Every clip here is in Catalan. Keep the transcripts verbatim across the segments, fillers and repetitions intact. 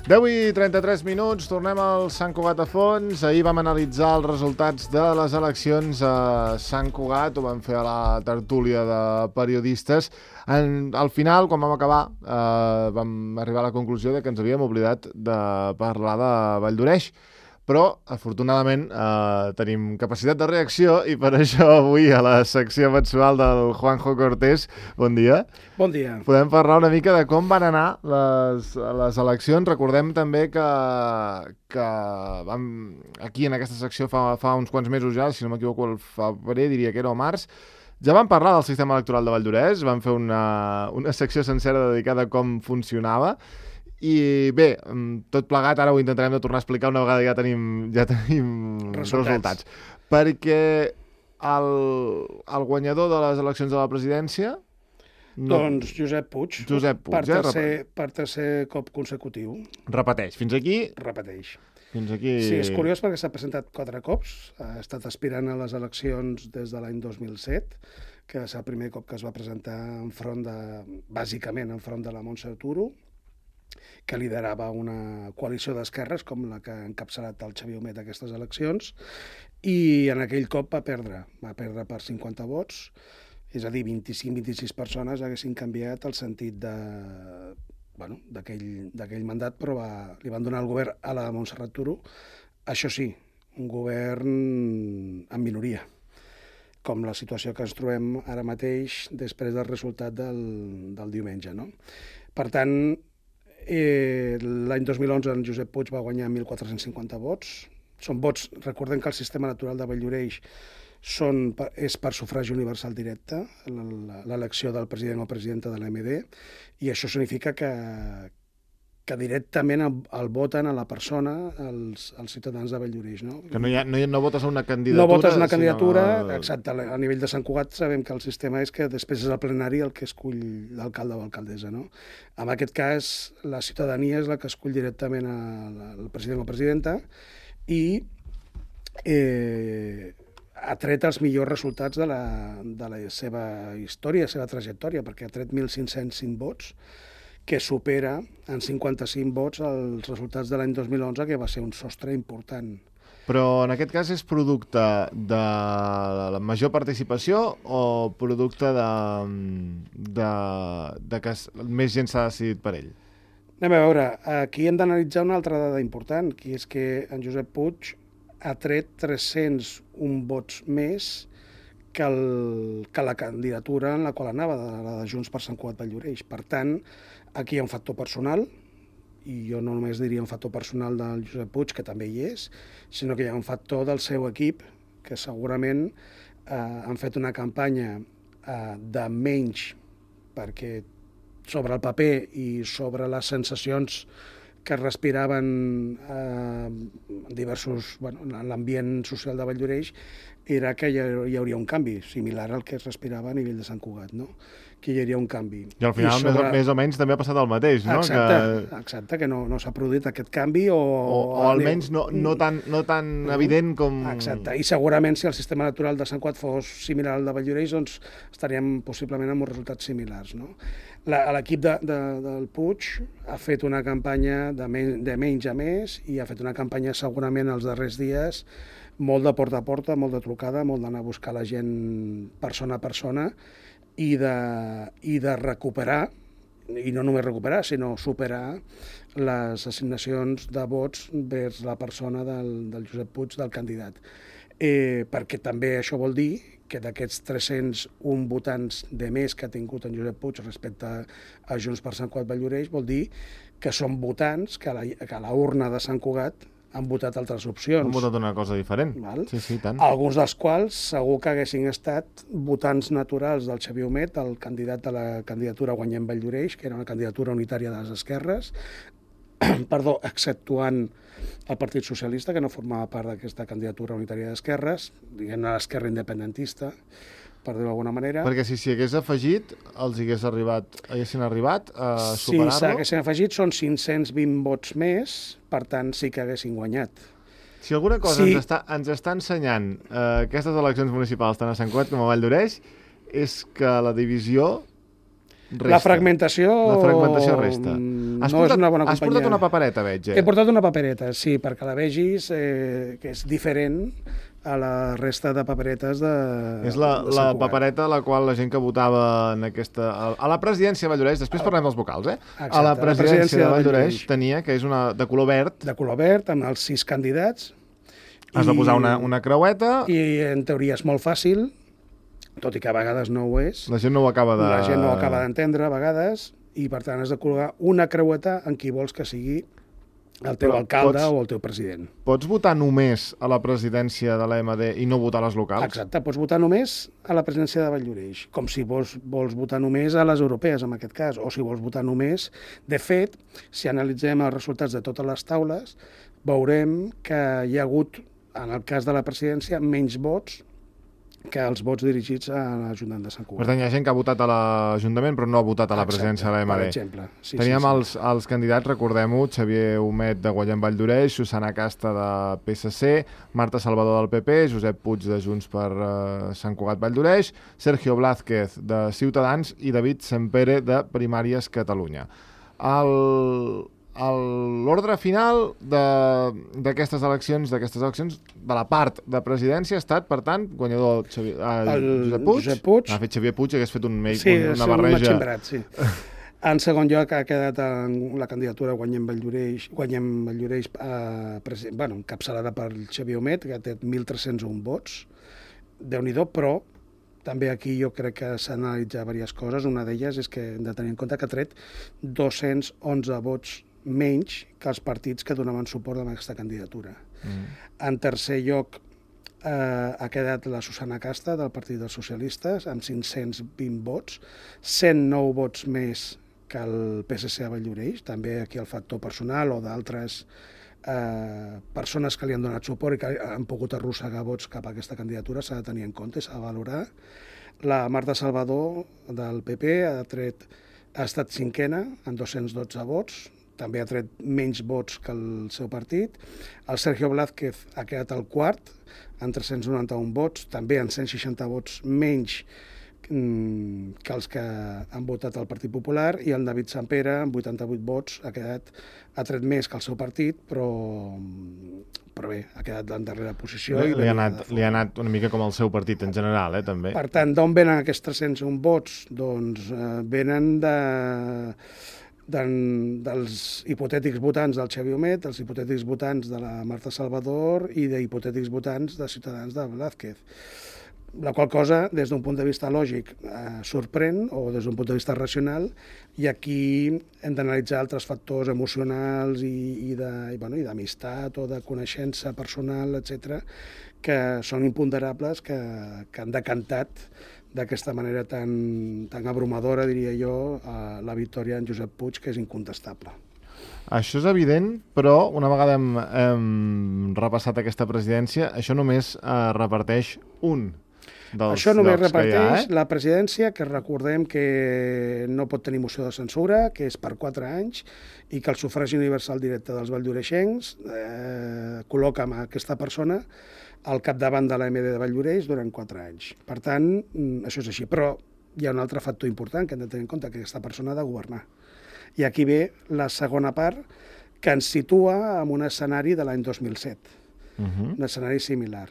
deu i trenta-tres minuts, tornem al Sant Cugat a fons. Ahir vam analitzar els resultats de les eleccions a Sant Cugat, ho vam fer a la tertúlia de periodistes. En, al final, quan vam acabar, eh, vam arribar a la conclusió de que ens havíem oblidat de parlar de Valldoreix. Però, afortunadament, eh, tenim capacitat de reacció i per això avui a la secció mensual del Juanjo Cortés, bon dia. Bon dia. Podem parlar una mica de com van anar les, les eleccions. Recordem també que, que vam, aquí en aquesta secció fa, fa uns quants mesos ja, si no m'equivoco el febrer, diria que era o març, ja vam parlar del sistema electoral de Valldoreix, vam fer una, una secció sencera dedicada a com funcionava. I bé, tot plegat, ara ho intentarem de tornar a explicar una vegada ja tenim, ja tenim resultats. resultats. Perquè el, el guanyador de les eleccions de la presidència... No, doncs Josep Puig, Josep Puig per, eh? tercer, per tercer cop consecutiu. Repeteix, fins aquí... Repeteix. Fins aquí... Sí, és curiós perquè s'ha presentat quatre cops, ha estat aspirant a les eleccions des de l'any dos mil set, que és el primer cop que es va presentar enfront de, bàsicament enfront de la Montse Arturo, que liderava una coalició d'esquerres com la que ha encapçalat el Xavier Humet aquestes eleccions, i en aquell cop va perdre, va perdre per cinquanta vots, és a dir, vint-i-cinc vint i sis persones haguessin canviat el sentit de, bueno, d'aquell mandat, però va, li van donar el govern a la Montserrat Turo, això sí, un govern en minoria, com la situació que ens trobem ara mateix després del resultat del, del diumenge, no? Per tant, Eh, l'any dos mil onze en Josep Puig va guanyar mil quatre-cents cinquanta vots. Són vots, recordem que el sistema electoral de Valldoreix són, és per sufragi universal directe, l'elecció del president o presidenta de l'A M D, i això significa que, que directament el, el voten a la persona els, els ciutadans de Valldoreix. No? Que no, hi ha, no, hi ha, no votes a una candidatura... No votes una candidatura, sinó... exacte. A nivell de Sant Cugat sabem que el sistema és que després és el plenari el que escull l'alcalde o alcaldessa. No? En aquest cas, la ciutadania és la que escull directament el president o presidenta i eh, ha tret els millors resultats de la, de la seva història, la seva trajectòria, perquè ha tret mil cinc-cents cinc vots, que supera en cinquanta-cinc vots els resultats de l'any dos mil onze, que va ser un sostre important. Però en aquest cas és producte de la major participació o producte de, de, de que més gent s'ha decidit per ell? Anem a veure, aquí hem d'analitzar una altra dada important, que és que en Josep Puig ha tret tres-cents un vots més que, el, que la candidatura en la qual anava, de la de Junts per Sant Cugat Valldoreix. Per tant, aquí hi ha un factor personal, i jo no només diria un factor personal del Josep Puig, que també hi és, sinó que hi ha un factor del seu equip, que segurament eh, han fet una campanya eh, de menys, perquè sobre el paper i sobre les sensacions que es respiraven eh, diversos, bueno, en l'ambient social de Valldoreix, era que hi hauria un canvi similar al que es respirava a nivell de Sant Cugat, no? Que hi hauria un canvi. I al final, I sobre... més, o, més o menys, també ha passat el mateix, no? Exacte, que... exacte, que no, no s'ha produït aquest canvi o... O, o almenys no, no tan, no tan uh, evident com... Exacte, i segurament si el sistema electoral de Sant Cugat fos similar al de Valldoreix, doncs estaríem possiblement amb uns resultats similars, no? L'equip de, de, del Puig ha fet una campanya de, men de menys a més i ha fet una campanya segurament els darrers dies molt de porta a porta, molt de trucada, molt d'anar a buscar la gent persona a persona i de, i de recuperar, i no només recuperar, sinó superar les assignacions de vots vers la persona del, del Josep Puig, del candidat. Eh, perquè també això vol dir que d'aquests tres-cents un votants de més que ha tingut en Josep Puig respecte a Junts per Sant Cugat Valldoreix vol dir que són votants que a la, que a la urna de Sant Cugat han votat altres opcions. Han votat una cosa diferent. Val? Sí, sí, tant. Alguns dels quals segur que haguessin estat votants naturals del Xavier Humet, el candidat de la candidatura Guanyem Valldoreix, que era una candidatura unitària de les esquerres, perdó, exceptuant el Partit Socialista, que no formava part d'aquesta candidatura unitària d'esquerres, diguem-ne l'esquerra independentista, per dir-ho d'alguna manera. Perquè si s'hi hagués afegit, els hagués arribat, haguessin arribat a superar-lo? Si s'haguessin afegit, són cinc-cents vint vots més, per tant sí que haguessin guanyat. Si alguna cosa sí. ens, està, ens està ensenyant eh, aquestes eleccions municipals tant a Sant Cugat com a Valldoreix, és que la divisió resta. La fragmentació... La fragmentació resta. Has no portat, és una bona has companyia. portat una papereta, veig, eh? He portat una papereta, sí, perquè la vegis, eh, que és diferent a la resta de paperetes de És la, de la Sant Cugat. papereta a la qual la gent que votava en aquesta, a la presidència de Valldoreix, després parlem dels vocals, eh? Exacte, a la presidència, presidència de de Valldoreix Valldoreix. tenia, que és una de color verd, De color verd, amb els sis candidats. has de posar una, una creueta, I en teoria és molt fàcil, tot i que a vegades no ho és. la gent no ho acaba de... La gent no ho acaba d'entendre a vegades, i per tant has de col·locar una creueta en qui vols que sigui el teu Però alcalde pots- o el teu president. Pots votar només a la presidència de l'A M D i no votar a les locals? Exacte, pots votar només a la presidència de Valldoreix, com si vols, vols votar només a les europees, en aquest cas, o si vols votar només... De fet, si analitzem els resultats de totes les taules, veurem que hi ha hagut, en el cas de la presidència, menys vots que els vots dirigits a l'Ajuntament de Sant Per Cugat. tant, hi ha gent que ha votat a l'Ajuntament però no ha votat a la presidència de l'A M D. Per exemple. Sí, Teníem sí, sí. Els, els candidats, recordem-ho, Xavier Humet de Guanyem Valldoreix, Susana Casta de P S C, Marta Salvador del P P, Josep Puig de Junts per uh, Sant Cugat Valldoreix, Sergio Blázquez de Ciutadans i David Sempere de Primàries Catalunya. El... L'ordre final d'aquestes eleccions, d'aquestes eleccions, de la part de presidència ha estat, per tant, guanyador Xavier, eh, El Josep Puig. Josep Puig. Ha fet Xavier Puig, hagués fet un, make, Sí, un, és una un barreja. matximbrat, sí. En segon lloc ha quedat en la candidatura Guanyem Valldoreix, Guanyem Valldoreix eh, presi- bueno, encapçalada per Xavier Humet, que té mil tres-cents un vots. Déu-n'hi-do, però també aquí jo crec que s'han d'analitzar diverses coses. Una d'elles és que hem de tenir en compte que ha tret dos-cents onze vots menys que els partits que donaven suport a aquesta candidatura. Mm. En tercer lloc, eh, ha quedat la Susana Casta, del Partit dels Socialistes, amb cinc-cents vint vots, cent nou vots més que el P S C a Valldoreix, també aquí el factor personal o d'altres eh, persones que li han donat suport i que han pogut arrossegar vots cap a aquesta candidatura, s'ha de tenir en compte, s'ha de valorar. La Marta Salvador, del P P, ha, tret, ha estat cinquena, amb dos-cents dotze vots, també ha tret menys vots que el seu partit. El Sergio Blázquez ha quedat al quart, amb tres-cents noranta-un vots, també amb cent seixanta vots menys mm, que els que han votat el Partit Popular, i el David Sempere, amb vuitanta-vuit vots, ha quedat ha tret més que el seu partit, però, però bé, ha quedat en darrera posició. Li, i li, ha venia anat, de li ha fora. anat una mica com el seu partit en general, eh, també. Per tant, d'on venen aquests tres-cents un vots? Doncs eh, venen de, de, dels hipotètics votants del Xavier Humet, dels hipotètics votants de la Marta Salvador i d'hipotètics votants de Ciutadans de Blázquez. La qual cosa, des d'un punt de vista lògic, eh, sorprèn, o des d'un punt de vista racional, i aquí hem d'analitzar altres factors emocionals i, i de, i, bueno, i d'amistat o de coneixença personal, etcètera, que són imponderables, que, que han decantat d'aquesta manera tan, tan abrumadora, diria jo, eh, la victòria en Josep Puig, que és incontestable. Això és evident, però una vegada hem, hem repassat aquesta presidència, això només eh, reparteix un dels Això només llocs que hi ha, reparteix eh? la presidència, que recordem que no pot tenir moció de censura, que és per quatre anys, i que el sufragi universal directe dels valldoreixencs eh, col·loca amb aquesta persona al capdavant de l'A M D de Valldoreix durant quatre anys. Per tant, això és així. Però hi ha un altre factor important que hem de tenir en compte, que aquesta persona ha de governar. I aquí ve la segona part, que ens situa en un escenari de l'any dos mil set, Uh -huh. un escenari similar.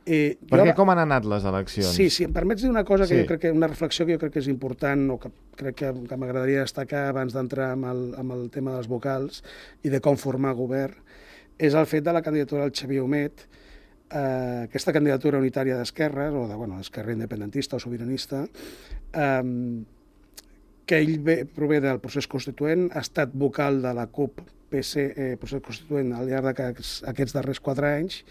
Eh, Perquè jo... com han anat les eleccions? Sí, sí, em permets dir una cosa que Sí. jo crec que una reflexió que jo crec que és important, o que crec que, que m'agradaria destacar abans d'entrar amb, el, amb el tema dels vocals i de com formar govern, és el fet de la candidatura del Xavier Humet, eh, aquesta candidatura unitària d'esquerres, o de, bueno, d'esquerra independentista o sobiranista, eh, que ell ve, prové del procés constituent, ha estat vocal de la CUP P C, eh, procés constituent al llarg d'aquests aquests darrers quatre anys,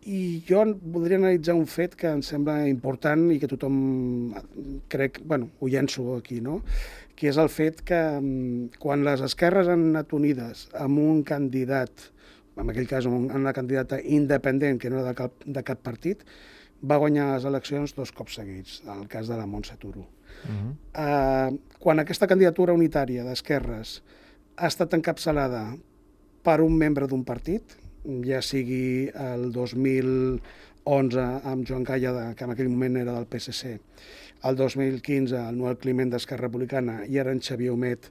i jo voldria analitzar un fet que em sembla important i que tothom crec, bueno, ho llenço aquí, no? Que és el fet que quan les esquerres han anat unides amb un candidat, en aquell cas amb una candidata independent que no era de cap, de cap partit, va guanyar les eleccions dos cops seguits, en el cas de la Montse Turo. Uh-huh. Uh, quan aquesta candidatura unitària d'esquerres ha estat encapçalada per un membre d'un partit, ja sigui el dos mil onze amb Joan Calla, que en aquell moment era del P S C, el dos mil quinze el Noel Climent d'Esquerra Republicana i ara en Xavier Humet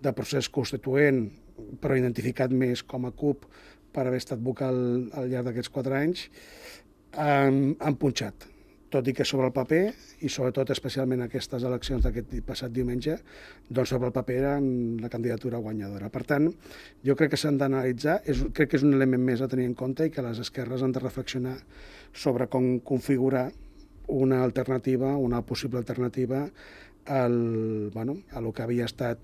de procés constituent, però identificat més com a C U P per haver estat vocal al llarg d'aquests quatre anys, han, han punxat. Tot i que sobre el paper, i sobretot especialment aquestes eleccions d'aquest passat diumenge, doncs sobre el paper eren la candidatura guanyadora. Per tant, jo crec que s'han d'analitzar, crec que és un element més a tenir en compte i que les esquerres han de reflexionar sobre com configurar una alternativa, una possible alternativa al, bueno, a lo que havia estat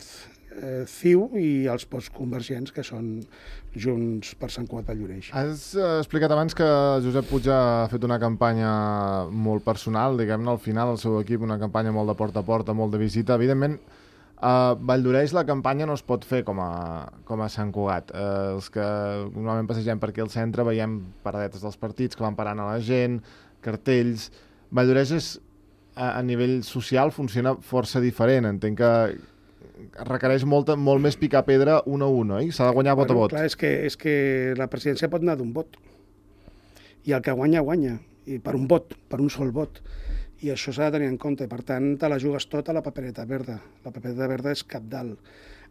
eh, C I U i els postconvergents, que són Junts per Sant Cugat Valldoreix. Has eh, explicat abans que Josep Puig ha fet una campanya molt personal, diguem-ne, al final el seu equip, una campanya molt de porta a porta, molt de visita. Evidentment, a Valldoreix la campanya no es pot fer com a, com a Sant Cugat. Eh, els que normalment passegem per aquí al centre veiem paradetes dels partits que van parant a la gent, cartells. Valldoreix és, a, a nivell social funciona força diferent. Entenc que requereix molta, molt més picar pedra un a un, oi? S'ha de guanyar vot bueno, a vot. Clar, és que, és que la presidència pot anar d'un vot. I el que guanya, guanya. I per un vot, per un sol vot. I això s'ha de tenir en compte. Per tant, te la jugues tot a la papereta verda. La papereta verda és cabdal.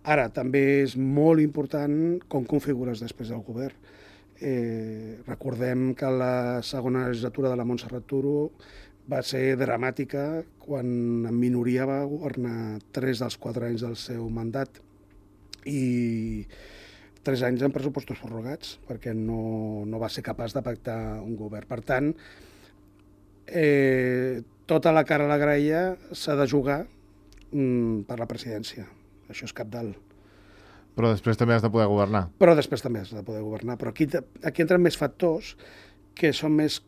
Ara, també és molt important com configures després del govern. Eh, recordem que la segona legislatura de la Montserrat Turo va ser dramàtica quan en minoria va governar tres dels quatre anys del seu mandat i tres anys en pressupostos prorrogats perquè no, no va ser capaç de pactar un govern. Per tant, eh, tota la cara a la graella s'ha de jugar mm, per la presidència. Això és cabdal. Però després també has de poder governar. Però després també has de poder governar. Però aquí, aquí entren més factors que són més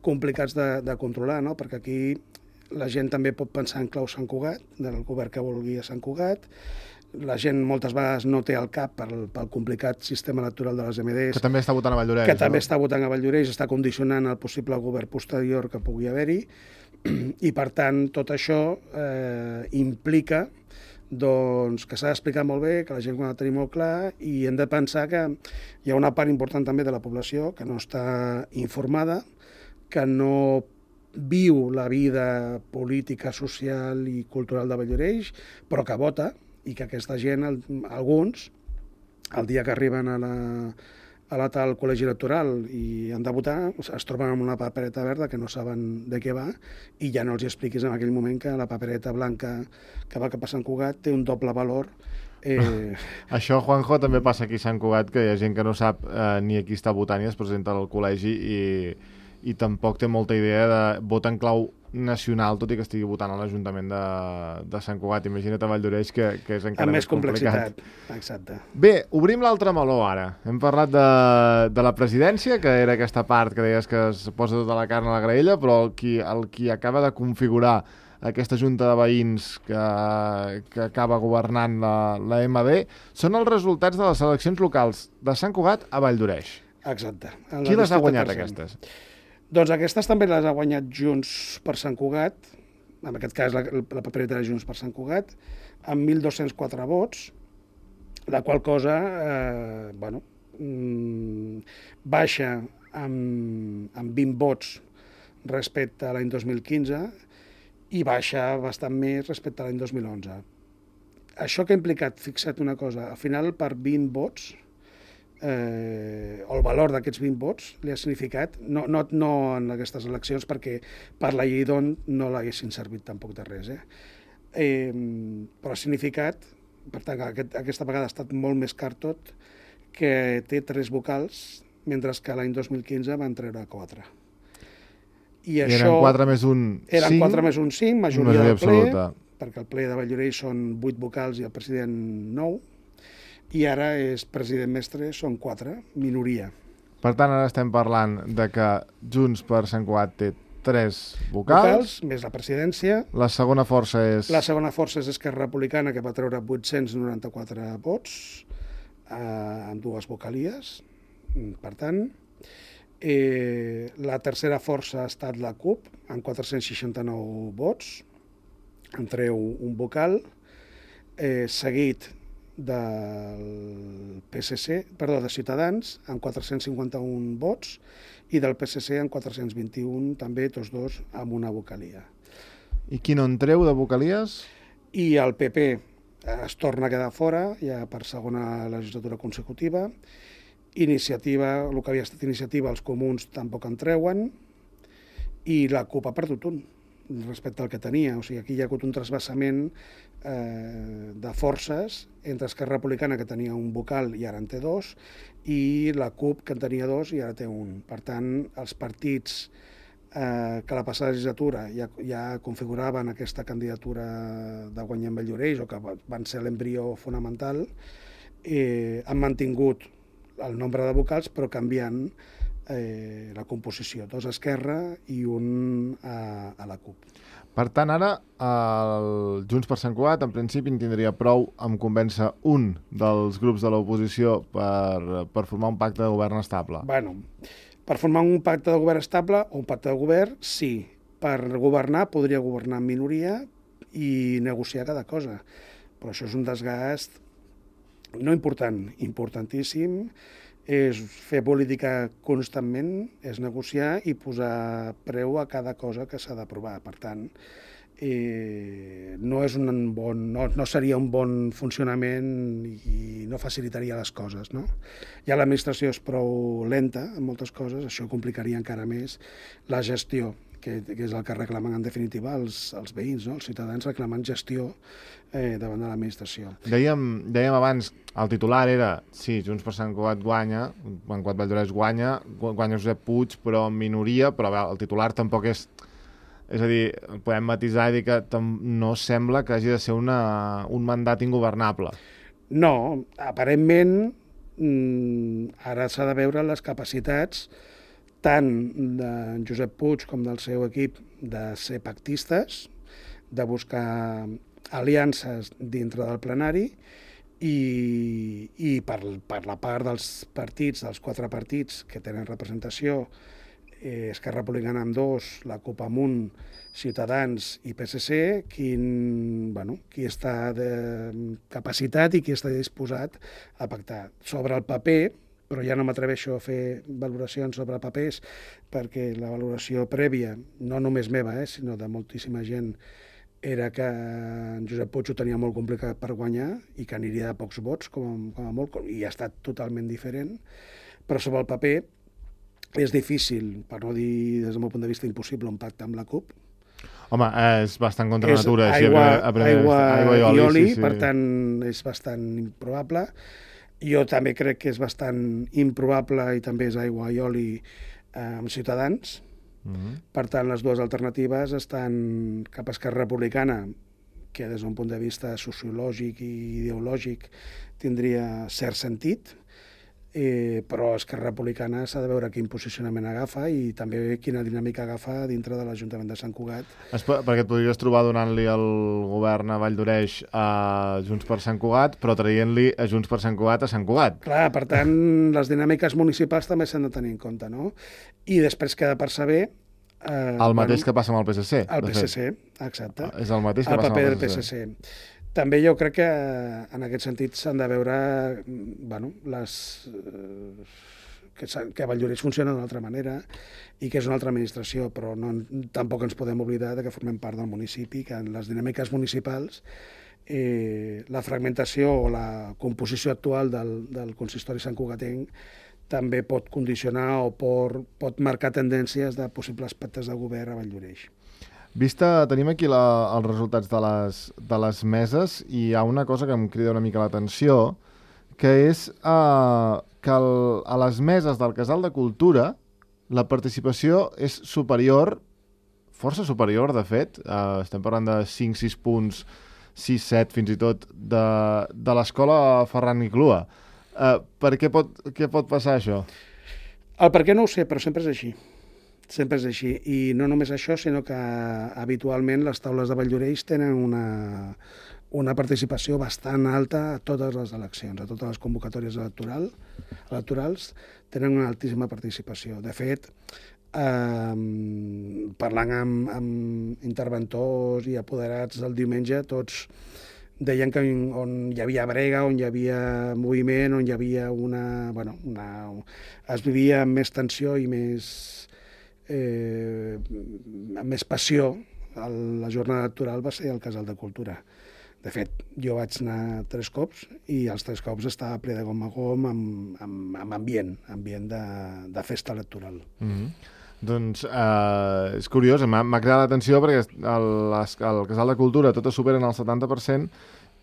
complicats de, de controlar, no? Perquè aquí la gent també pot pensar en clau Sant Cugat, del govern que vulgui a Sant Cugat. La gent moltes vegades no té al cap pel, pel complicat sistema electoral de les M Ds. Que també està votant a Valldoreix. Que també no? està votant a Valldoreix, està condicionant el possible govern posterior que pugui haver-hi. I, per tant, tot això eh, implica doncs, que s'ha d'explicar molt bé, que la gent ho ha de tenir molt clar i hem de pensar que hi ha una part important també de la població que no està informada, que no viu la vida política, social i cultural de Valldoreix, però que vota, i que aquesta gent, alguns, el dia que arriben a la, a la tal col·legi electoral i han de votar, es troben amb una papereta verda que no saben de què va i ja no els expliquis en aquell moment que la papereta blanca que va cap a Sant Cugat té un doble valor. Eh... Això, Juanjo, també passa aquí a Sant Cugat, que hi ha gent que no sap eh, ni a qui està votant i es presenta al col·legi i, i tampoc té molta idea de vot en clau nacional, tot i que estigui votant a l'Ajuntament de, de Sant Cugat. Imagina't a Valldoreix, que, que és encara amb més, més complicat. Exacte. Bé, obrim l'altre meló ara. Hem parlat de, de la presidència, que era aquesta part que deies que es posa tota la carn a la graella, però el qui, el qui acaba de configurar aquesta junta de veïns que, que acaba governant la, la M D són els resultats de les eleccions locals de Sant Cugat a Valldoreix. Exacte. Qui les ha guanyat, aquestes? Doncs aquestes també les ha guanyat Junts per Sant Cugat, en aquest cas la, la papereta de Junts per Sant Cugat, amb mil dos-cents quatre vots, la qual cosa eh, bueno, mm, baixa amb, amb vint vots respecte a l'any dos mil quinze i baixa bastant més respecte a l'any dos mil onze. Això que ha implicat, fixa't una cosa, al final per vint vots, Eh, el valor d'aquests vint vots li ha significat, no, no, no en aquestes eleccions, perquè per la llei d'on no l'haguessin servit tampoc de res, eh? Eh, però ha significat, per tant, aquest, aquesta vegada ha estat molt més car tot, que té tres vocals, mentre que l'any dos mil quinze van treure quatre. I, I això, eren quatre més un eren cinc, quatre més un cinc, majoria, majoria del ple, absoluta. Perquè el ple de Valldoreix són vuit vocals i el president nou, i ara és president mestre, són quatre, minoria. Per tant, ara estem parlant de que Junts per Sant Cugat té tres vocals. Vocals, més la presidència. La segona força és... La segona força és Esquerra Republicana, que va treure vuit-cents noranta-quatre vots, eh, amb dues vocalies, per tant. Eh, la tercera força ha estat la C U P, amb quatre-cents seixanta-nou vots, en treu un vocal, eh, seguit del P S C, perdó, de Ciutadans, amb quatre-cents cinquanta-un vots, i del P S C amb quatre-cents vint-i-un, també tots dos amb una vocalia. I qui no en treu de vocalies? I el P P es torna a quedar fora, ja per segona legislatura consecutiva. Iniciativa, el que havia estat iniciativa, els comuns tampoc en treuen, i la CUP ha perdut un respecte al que tenia. O sigui, aquí hi ha hagut un trasbassament eh, de forces entre Esquerra Republicana, que tenia un vocal i ara en té dos, i la CUP, que en tenia dos i ara té un. Per tant, els partits eh, que la passada legislatura ja, ja configuraven aquesta candidatura de guanyar en Valldoreix, o que van ser l'embrió fonamental, eh, han mantingut el nombre de vocals, però canviant eh, la composició. Dos a Esquerra i un a, a la CUP. Per tant, ara, el Junts per Sant Cugat, en principi, en tindria prou amb convèncer un dels grups de l'oposició per, per formar un pacte de govern estable. Bueno, per formar un pacte de govern estable o un pacte de govern, sí. Per governar, podria governar en minoria i negociar cada cosa. Però això és un desgast no important, importantíssim. És fer política constantment, és negociar i posar preu a cada cosa que s'ha d'aprovar. Per tant, eh, no, és un bon, no, no seria un bon funcionament i no facilitaria les coses, no? Ja l'administració és prou lenta en moltes coses, això complicaria encara més la gestió, que, que és el que reclamen en definitiva els, els veïns, no? Els ciutadans reclamen gestió eh, davant de l'administració. Dèiem, dèiem abans, el titular era, sí, Junts per Sant Cugat guanya, en Cugat Valldoreix guanya, guanya Josep Puig, però en minoria, però bé, el titular tampoc és... És a dir, podem matisar i dir que no sembla que hagi de ser una, un mandat ingovernable. No, aparentment, ara s'ha de veure les capacitats tant de Josep Puig com del seu equip de ser pactistes, de buscar aliances dintre del plenari i, i per, per la part dels partits, dels quatre partits que tenen representació, eh, Esquerra Republicana amb dos, la CUP amb un, Ciutadans i P S C, quin, bueno, qui està de capacitat i qui està disposat a pactar. Sobre el paper, però ja no m'atreveixo a fer valoracions sobre papers, perquè la valoració prèvia, no només meva, eh, sinó de moltíssima gent, era que en Josep Puig ho tenia molt complicat per guanyar i que aniria de pocs vots, com, com a molt, i ha estat totalment diferent. Però sobre el paper és difícil, per no dir des del meu punt de vista impossible, un pacte amb la CUP. Home, és bastant contra és natura. Aigua, a primer, aigua, aigua i oli, i oli sí, sí. Per tant, és bastant improbable. Jo també crec que és bastant improbable i també és aigua i oli eh, amb Ciutadans. Uh-huh. Per tant, les dues alternatives estan cap a Esquerra Republicana, que des d'un punt de vista sociològic i ideològic tindria cert sentit, eh, però Esquerra Republicana s'ha de veure quin posicionament agafa i també quina dinàmica agafa dintre de l'Ajuntament de Sant Cugat. Es, perquè et podries trobar donant-li el govern a Valldoreix a Junts per Sant Cugat, però traient-li a Junts per Sant Cugat a Sant Cugat. Clar, per tant, les dinàmiques municipals també s'han de tenir en compte, no? I després queda per saber... Eh, el mateix bueno, que passa amb el P S C. El P S C, exacte. És el mateix que el passa amb el P S C. També jo crec que en aquest sentit s'han de veure bueno, les, que, que Valldoreix funciona d'una altra manera i que és una altra administració, però no, tampoc ens podem oblidar de que formem part del municipi, que en les dinàmiques municipals eh, la fragmentació o la composició actual del, del consistori santcugatenc també pot condicionar o pot, pot marcar tendències de possibles pactes de govern a Valldoreix. Vista, tenim aquí la, els resultats de les, de les meses i hi ha una cosa que em crida una mica l'atenció, que és uh, que el, a les meses del Casal de Cultura la participació és superior, força superior, de fet, uh, estem parlant de cinc sis punts, sis set fins i tot, de, de l'escola Ferran i Clua. Uh, per què pot, què pot passar això? El per què no ho sé, però sempre és així. Sempre és així. I no només això, sinó que habitualment les taules de Valldoreix tenen una, una participació bastant alta a totes les eleccions, a totes les convocatòries electoral, electorals, tenen una altíssima participació. De fet, eh, parlant amb, amb interventors i apoderats el diumenge, tots deien que on hi havia brega, on hi havia moviment, on hi havia una... Bueno, una es vivia amb més tensió i més... Eh, amb més passió, el, la jornada electoral va ser el Casal de Cultura. De fet, jo vaig anar tres cops i els tres cops estava ple de gom a gom amb, amb, amb ambient, ambient de, de festa electoral. Mm-hmm. Doncs eh, és curiós, m'ha cridat l'atenció perquè el, el Casal de Cultura tot es superen el setanta per cent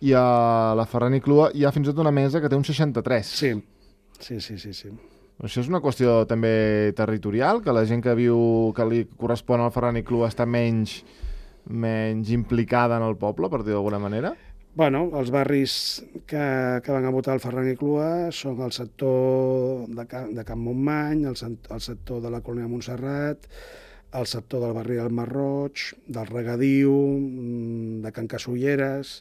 i a la Ferran i Clua hi ha fins i tot una mesa que té un seixanta-tres. Sí, sí, sí, sí, sí. Això és una qüestió també territorial, que la gent que viu, que li correspon al Ferran i Clua està menys... menys implicada en el poble, per dir d'alguna manera? Bueno, els barris que, que van a votar el Ferran i Clua són el sector de, Can, de Can Montmany, el, el sector de la Colònia Montserrat, el sector del barri del Marroig, del Regadiu, de Can Casulleres...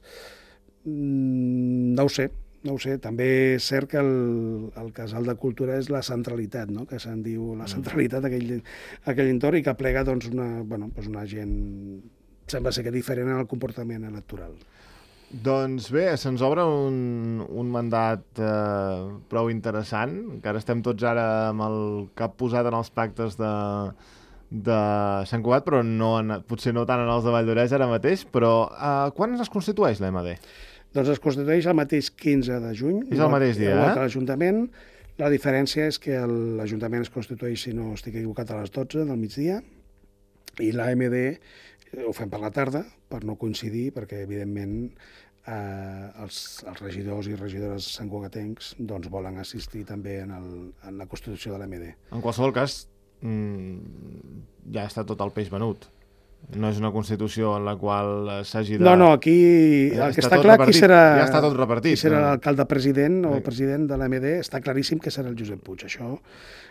No ho sé, no ho sé. També és cert que el, el Casal de Cultura és la centralitat, no? Que se'n diu la centralitat d'aquell aquell entorn i que plega doncs, una, bueno, doncs una gent... sembla ser que diferent en el comportament electoral. Doncs bé, se'ns obre un, un mandat eh, prou interessant. Encara estem tots ara amb el cap posat en els pactes de, de Sant Cugat, però no en, potser no tant en els de Valldoreix ara mateix. Però eh, quan es constitueix l'E M D? Doncs es constitueix el mateix quinze de juny. És el mateix dia, igual eh? que l'Ajuntament. La diferència és que l'Ajuntament es constitueix, si no estic equivocat, a les dotze del migdia, i l'A M D ho fem per la tarda, per no coincidir, perquè, evidentment, eh, els, els regidors i regidores santcugatencs doncs, volen assistir també en, el, en la constitució de l'A M D. En qualsevol cas, mmm, ja està tot el peix venut. No és una Constitució en la qual s'hagi de... No, no, aquí ja el que està, està clar qui serà, ja està tot repartit, qui serà no? l'alcalde-president o el president de l'A M D, està claríssim que serà el Josep Puig, això,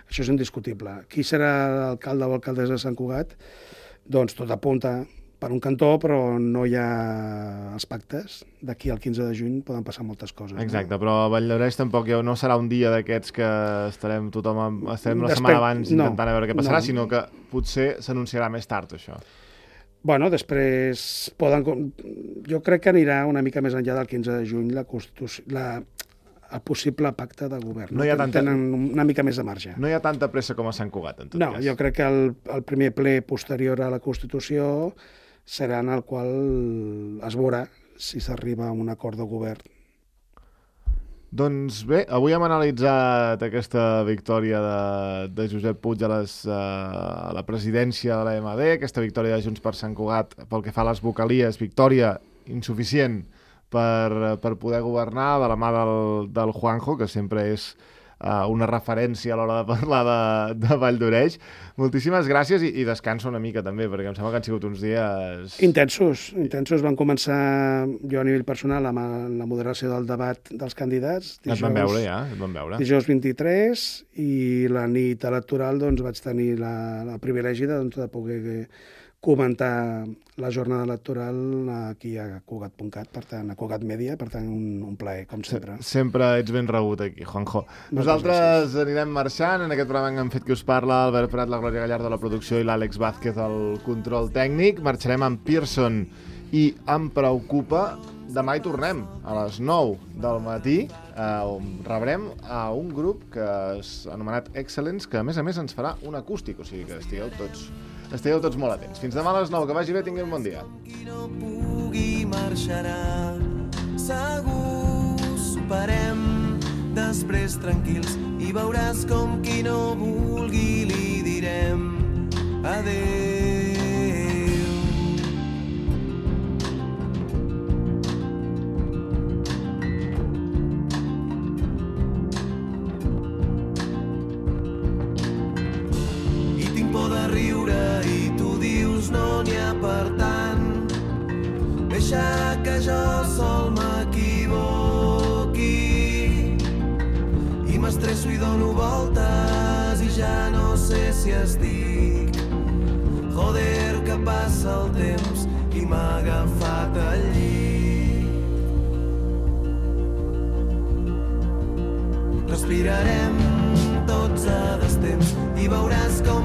això és indiscutible. Qui serà l'alcalde o alcaldessa de Sant Cugat? Doncs tot apunta per un cantó, però no hi ha els pactes. D'aquí al quinze de juny poden passar moltes coses. Exacte, no? però a Valldoreix tampoc no serà un dia d'aquests que estarem tothom estarem una setmana abans no, intentant a veure què passarà, no. sinó que potser s'anunciarà més tard, això. Bueno, després poden... Jo crec que anirà una mica més enllà del quinze de juny la Constitució... La... el possible pacte de govern. No hi ha tanta... Tenen una mica més de marge. No hi ha tanta pressa com a Sant Cugat, en tot no, cas. No, jo crec que el, el primer ple posterior a la Constitució serà en el qual es veurà si s'arriba a un acord de govern. Doncs bé, avui hem analitzat aquesta victòria de, de Josep Puig a, les, a la presidència de l'A M D, aquesta victòria de Junts per Sant Cugat pel que fa a les vocalies, victòria insuficient per, per poder governar de la mà del, del Juanjo, que sempre és uh, una referència a l'hora de parlar de, de Valldoreix. Moltíssimes gràcies i, i descansa una mica també, perquè em sembla que han sigut uns dies... Intensos, intensos. Van començar jo a nivell personal amb la moderació del debat dels candidats. Dijous, et van veure ja, et van veure. Dijous vint-i-tres i la nit electoral doncs, vaig tenir la, la privilegi de, doncs, de poder comentar la jornada electoral aquí a Cugat punt cat, per tant, a Cugat Media, per tant, un, un plaer, com sempre. Sempre ets ben rebut aquí, Juanjo. Moltes Nosaltres gràcies. Anirem marxant. En aquest programa hem fet qui us parla, Albert Prat, la Glòria Gallardo, la producció, i l'Àlex Vázquez, el control tècnic. Marxarem amb Pearson i Em preocupa. Demà hi tornem, a les nou del matí, eh, on rebrem a un grup que és anomenat Excellence, que a més a més ens farà un acústic, o sigui que estigueu tots... Estigueu tots molt atents. Fins demà a les nou. Que vagi bé, tingueu un bon dia. Qui no pugui marxarà, segur superem, després tranquils, i veuràs com qui no vulgui li direm adéu. I tinc por de riure i tu dius no n'hi ha per tant. Deixa que jo sol m'equivoqui i m'estresso i dono voltes i ja no sé si estic. Joder, que passa el temps i m'ha agafat el llit. Respirarem tots a destemps i veuràs com